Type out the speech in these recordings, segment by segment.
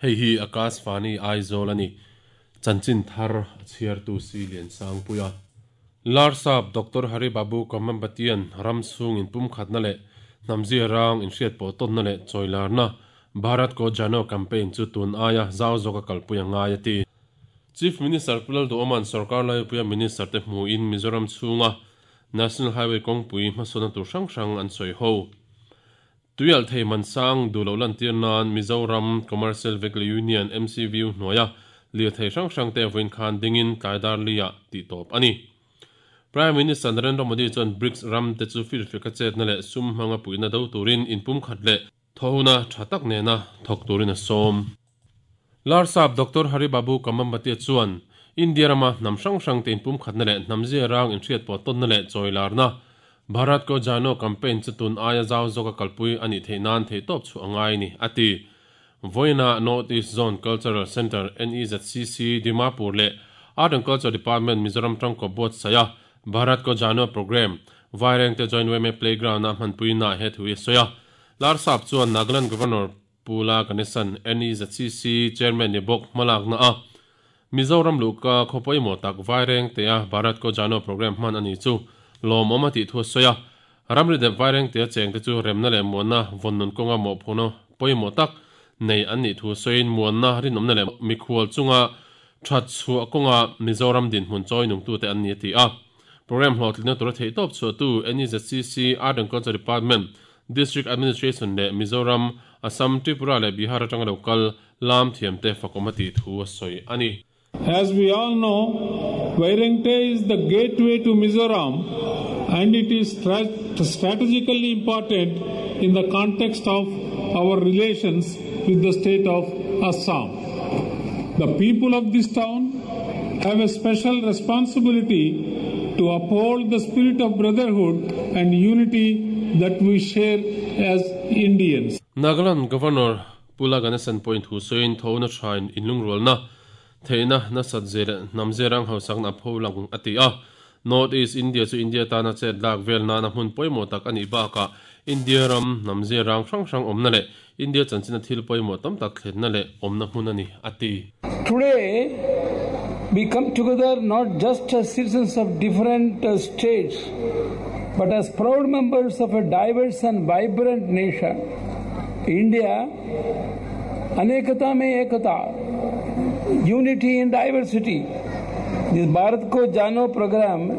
Hei hi Akashvani Aizawl a ni. Chanchin thar a chhiartu si Liansangpuia. Larsap Doctor Hari Babu Kambhampatian ram chhung inpumkhatna leh hnamzia rang inhriat pawh tawnna leh chawilarna Bharat Ko Jano campaign chu tun aia zau zawka kalpui a ngai a ti. Chief Minister Pu Lalduhoma'n sorkar laipuia Minister te hmuhin Mizoram chhunga National Highway kawngpui hmasawnna tur hrang hrang an sawi ho. Tuialh thei man sang duh loh lantir nan Mizoram Commercial Vehicle Union, MCVU, hnuaia lirthei hrang hrang te vawiin khan dingin tlai dar li-ah tih tawp a ni. Prime Minister Narendra Modi chuan BRICS ram te chu firfiaka chetna leh sum hmanga puihna do turin inpumkhat leh thawhuna tha tak nena thawk turin a sawm. Larsap Doctor Hari Babu Kambhampati chuan India rama hnam hrang hrang te inpumkhatna leh hnam zia rang inhriat pawh tawnna leh chawilarna Bharat Ko Jano campaign chu tun aia zau zawka kalpui a nih theih nan theihtawp chhuah a ngai ni, a ti. Vawiina North East Zone Cultural Centre, NEZCC, Dimapur leh Art and Culture Department Mizoram tangkaw buatsaih a Bharat Ko Jano programme Vairengte Joint YMA Playground-a hmanpuina he thu hi a sawi a. Larsap chuan Nagaland Governor Pu La Ganesan, NEZCC Chairman ni bawk hmalakna a Mizoram luhka khaw pawimawh tak Vairengtea Bharat Ko Jano programme hman a ni chu lawmawm a tih thu a sawi a. Ramri dep Vairengtea chengte chu remna leh muanna vawnnun kawnga mawhphurhna pawimawh tak nei an nih thu sawiin muanna rinawmna leh mikhual chunga that chhuah kawnga Mizoram dinhmun chawi nungtute an ni a ti a. Programme hlawhtlinna tura theihtawp chhuahtu NEZCC Art and Culture Department District Administration leh Mizoram, Assam, Tripura leh Bihar atanga lo kal lam thiamte fakawm a tih thu a sawi a ni. As we all know, Vairengte is the gateway to Mizoram and it is strategically important in the context of our relations with the state of Assam. The people of this town have a special responsibility to uphold the spirit of brotherhood and unity that we share as Indians. Nagaland Governor Pu La Ganesan pawhin thu sawiin tho na thain inlungrualna theihna nasat zir leh hnam zirang hausakna a pho lang a ti a. North East India chu India tana chet lak vel nana hmun pawimawh tak a nih bakah India ram hnam zirang hrang hrang awmna leh India chanchina thil pawimawh tam tak thlenna leh awmna hmun a ni a ti. Today, we come together not just as citizens of different states, but as proud members of a diverse and vibrant nation. India, Anekata mein Ekata, unity in diversity. This Bharat Ko Jano program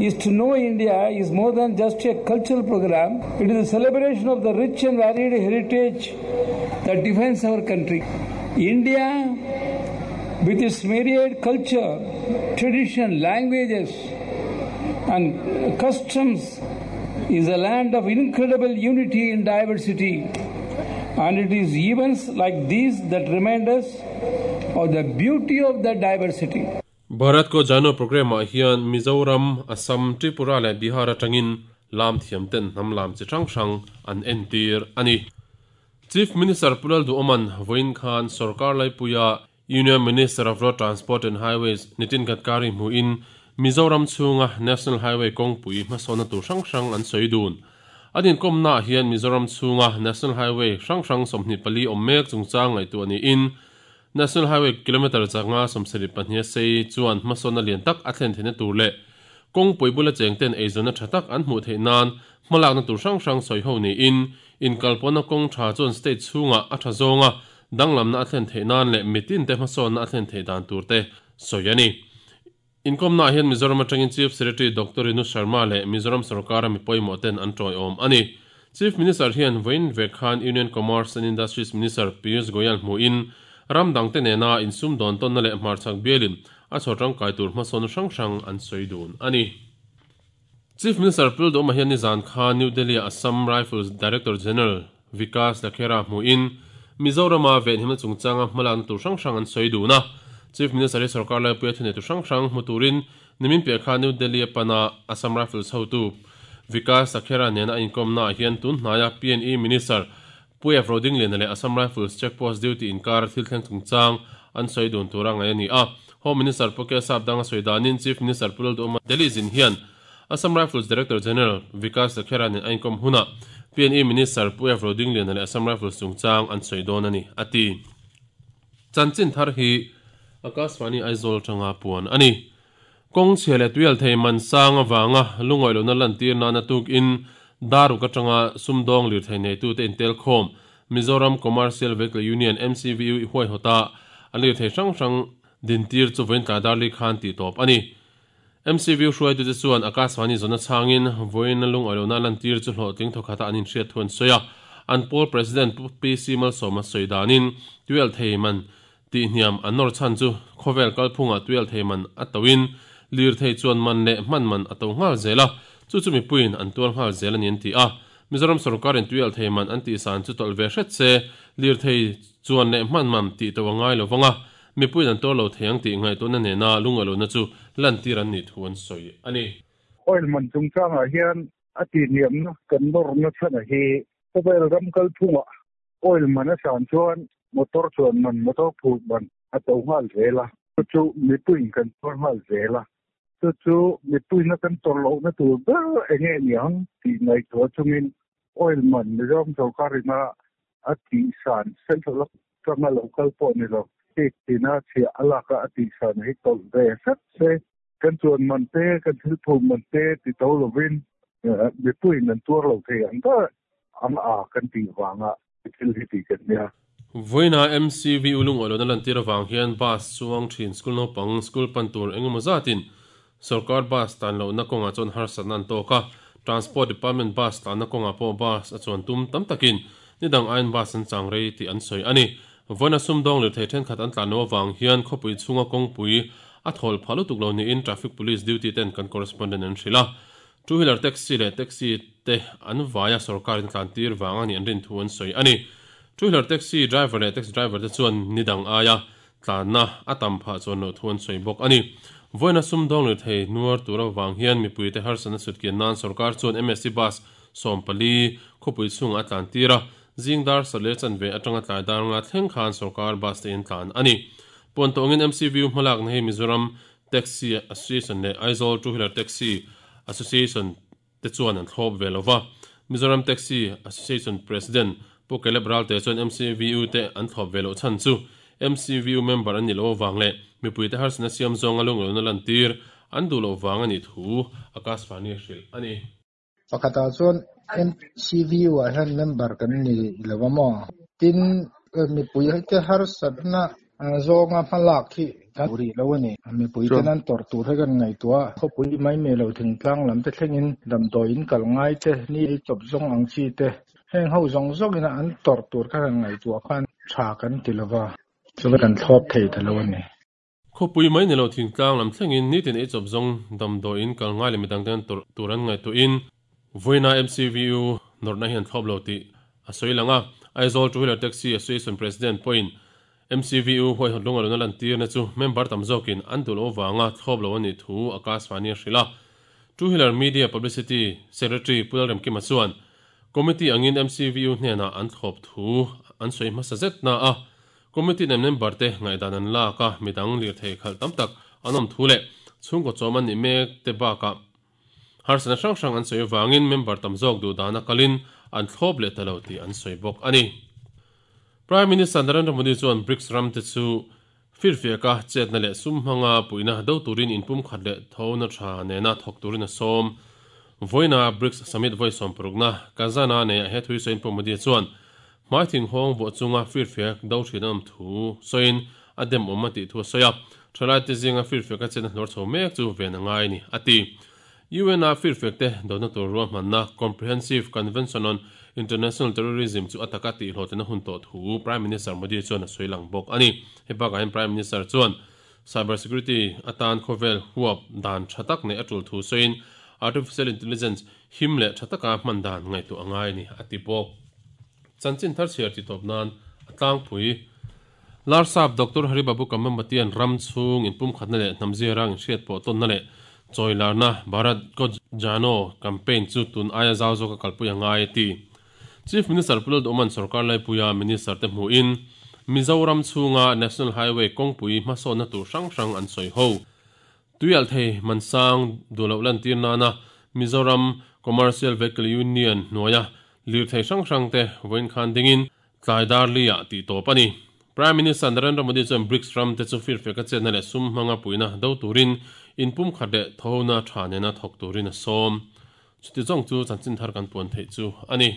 is to know India is more than just a cultural program. It is a celebration of the rich and varied heritage that defines our country. India, with its myriad culture, tradition, languages, and customs, is a land of incredible unity in diversity. And it is events like these that remind us of the beauty of that diversity. Bharat Ko Jano programme-ah hian Mizoram, Assam, Tripura leh Bihar atangin lam thiam ten hnam lam chi hrang hrang an entir a ni. Chief Minister Pu Lalduhoma'n vawiin khan sorkar laipuia Union Minister of Road Transport and Highways Nitin Gadkari hmuhin Mizoram chhunga National Highway kawngpui hmasawnna tur hrang hrang an sawi dun. An inkawmnaah hian Mizoram chhunga National Highway hrang hrang 24 awm mek chungchang ngaihtuah niin National Highway kilometre changa 72 a sei chuan hmasawnna lian tak a thlen theihna tur leh kawngpui bula chengten eizawnna tha tak an hmuh theih nan hmalakna tur hrang hrang sawi ho niin inkalpawhna kawng tha chuan state chhungah a tha zawnga danglamna a thlen theih nan leh mitin te hmasawnna a thlen theih dan tur te sawi a ni. Inkawmnaah hian Mizoram atangin Chief Secretary Doctor Rinu Sharma leh Mizoram sorkara mi pawimawh ten an tawiawm a ni. Chief Minister hian vawiin vek khan Union Commerce and Industries Minister Piyush Goyal hmuhin ram dangte nena insum dawn tawnna leh hmarchhak bialin a chhawr tangkai tur hmasawn hrang hrang an sawi dun a ni. Chief Minister Pul Duhoma hian nizan khan New Delhi-a Assam Rifles Director General Vikas Lakhera hmuhin Mizorama venhimna chungchanga hmalakna tur hrang hrang an sawi dun a. Chief Minister hi sorkar laipuia thuneitu hrang hrang hmu turin nimin piah khan New Delhi-a pana Assam Rifles hotu Vikas Lakhera nena a inkawmnaah hian tun hnaia PNE Minister Pu F. Rodingliana leh Assam Rifles Check Post duty inkar thil thleng chungchang an sawi dun tura ngaih a ni a. Home Minister Pu K. Sapdang a sawi danin Chief Minister Pu Lalduhoma Delhi zin hian Assam Rifles Director General Vikas Lakhera nen a inkawm hunah PNE Minister Pu F. Rodingliana leh Assam Rifles chungchang an sawi dawn a ni, a ti. Chanchin thar hi Akashvani Aizawl atanga puan a ni. Kawng chhia leh tuialthei man sang avanga lungawi lohna lantir nana tukin Daruk atanga sumdawng lirthei neitute intelkhawm Mizoram Commercial Vehicle Union, MCVU, i huaihawta an lirthei hrang hrang dintir chu vawiin tlai darli khan tih tawp a ni. MCVU hruaitute chuan Akashvani zawn achangin vawiin lungawi lohna lantir chu hlawhtling thawkhata an inhriat thu an sawi a. An pawl President Pu PC Malsawma sawi danin tuialthei man Tihhniam an nawr chhan chu khawvel kalphungah tuialthei man a toin lirthei chuan man leh hman man a to nghal zel a, chu chu mipuiin an tuar nghal zel a ni an ti a. Mizoram sorkarin tuialthei man an tihsan chu tawlh ve hret se, lirthei chuan leh hman man tih to a ngai lo vang a, mipuiin an tuar lo thei ang tih ngaihtuahna nena lungaihlohna chu lantir an nih thu an sawi a ni. Oil man chungchangah hian a tihhniamna kan nawrna chhan a hi khawvel ram kalphungah Oil man a san chuan motor chuan man, motor phur man a to nghal zel a, chu chu mipuiin kan tuar nghal zel a. Chu chu mipuiin a kan tawrh lohna tur ber eng nge niang tih ngaihtuah chungin oil man Mizoram sorkarin a a tihsan central atanga lo kal pawh ni lo, state tina chhiah a lak a a tihsan hi tawlh ve hret se. Kan chuan man te, kan thil phur man te ti to lovin mipuiin an tuar lo thei ang ber ang a kan tih vanga thil hi tih kan nia. Vawiina MCV U lungawi lohna lantir avang hian bus chuang thin school naupang school pan tur eng emaw zatin sorkar bus tan lohna kawngah chuan harsatna an tawk a, Transport Department bus tlanna kawngah pawh bus a chuan tum tam takin nidang aiin bus an chang rei tih an sawi a ni. Vawiina sumdawng lirthei thenkhat an tlan loh avang hian khawpui chhunga kawngpui a thawl phah lutuk lo niin traffic police duty ten kan correspondent an hrilh a. Two wheeler taxi leh taxi te an vaia sorkarin tlan tir vang a nih an rin thu an sawi a ni. Two wheeler taxi driver leh taxi driver te chuan ni dang aia tlanna a tam phah chuan loh thu an sawi bawk a ni. Vawiina sumdawng lirthei nuar tur avang hian mipuite harsatna sutkian nan sorkar chuan MSC bus 14 khawpui chhungah a tlan tir a, Zing dar sawleh chanve atanga tlai dar nga thleng khan sorkar bus te in tlan a ni. Puan tawngin MCVU hmalakna hi Mizoram Taxi Association leh Aizawl Two Wheeler Taxi Association te chuan an thlawp ve lo va. Mizoram Taxi Association President Pu Caleb Ralte chuan MCVU te an thlawp ve loh chhan chu MCVU member an nih loh avang leh mipuite harsatna siam zawnga lunglawlna lantir an duh loh vang a nih thu Akashvani a hrilh a ni. Pakhatah chuan MCVU ah hian member kan ni lo a maw? Tin, mipui te harsatna zawnga hmalak hi kan duh rih lo a ni. Mipui ten an tawrh tur hi kan ngaihtuah a, khawpui mai mai lo thingtlang lam te thlengin damdawi in kal ngai te, ni ei chawp zawng ang chi te, heng ho zawng zawngin an tawrh tur kha kan ngaihtuah khan tha kan ti lo va, chuan kan thlawp thei ta lo a ni. Khawpui mai ni lo thingtlang lam thlengin nitin ei chawp zawng damdawiin kal ngai leh midang ten tawrh tur an ngaihtuahin vawiina MCVU nawrhna hi an thlawp lo tih a sawi lang a. Aizawl Two Wheeler Taxi Association President pawhin MCVU huaihawt lungaluna lantirna chu member tam zawkin an duh loh avanga thlawp lo a nih thu Akashvani a hrilh a. Two Wheeler Media Publicity Secretary Pu Lalremkima chuan Committee angin MCVU hnenah an thlawp thu an sawi hmasa zet na a, Committee nen member te ngaihdan an lak a, midang lirthei khalh tam tak an awm thu leh chhungkaw chawm an nih mek te bakah harsatna hrang hrang an sawi avangin member tam zawk duh dana kalin an thlawp leh ta lo tih an sawi bawk a ni. Prime Minister Narendra Modi chuan BRICS ram te chu firfiaka chetna leh sum hmanga puihna do turin inpumkhat leh thona tha nena thawk turin a sawm. Vawiina BRICS Summit vawi sawmparukna Kazan-a neiah he thui sawiin Pu Modi chuan Hmai thinghawng vuah chunga firfiak do thin an awm thu sawiin a dem awm a tih thu a sawi a, thalaite zinga firfiak a chenna hluar chho mek chu ven a ngai a ni, a ti. UN-a firfiak te dona tur ruahmanna Comprehensive Convention on International Terrorism chu a taka tihhlawhtlina hun tawh thu Prime Minister Modi chuan a sawi lang bawk a ni. Hei bakah hian Prime Minister chuan Cyber Security atan khawvel huap dan tha tak neih a tul thu sawiin Artificial Intelligence him leh tha taka hman dan ngaihtuah a ngai a ni, a ti bawk. Chanchin thar chhiar ti tawp nan a tlangpui. Larsap Doctor Hari Babu Kambhampatian ram chhung inpumkhatna leh hnam ziarang inhriat pawh tawnna leh chawilarna Bharat Ko Jano campaign chu tun aia zau zawka kalpui a ngai a ti. Chief Minister Pu Lalduhman sorkar laipuia Minister te hmuhin Mizoram chhunga National Highway kawngpui hmasawnna tur hrang hrang an sawi ho. Tuialhthei Mansang duh loh lantir nana Mizoram Commercial Vehicle Union hnuaia lirthei hrang hrang te vawiin khan dingin tlai dar li ah tih tawp a ni. Prime Minister Narendra Modi chuan BRICS ram te chu firfiak a chetna leh sum hmanga puihna do turin inpumkhat leh thawhona tha nena thawk turin a sawm. Chuti zawng chu chanchin thar kan puan theih chu a ni.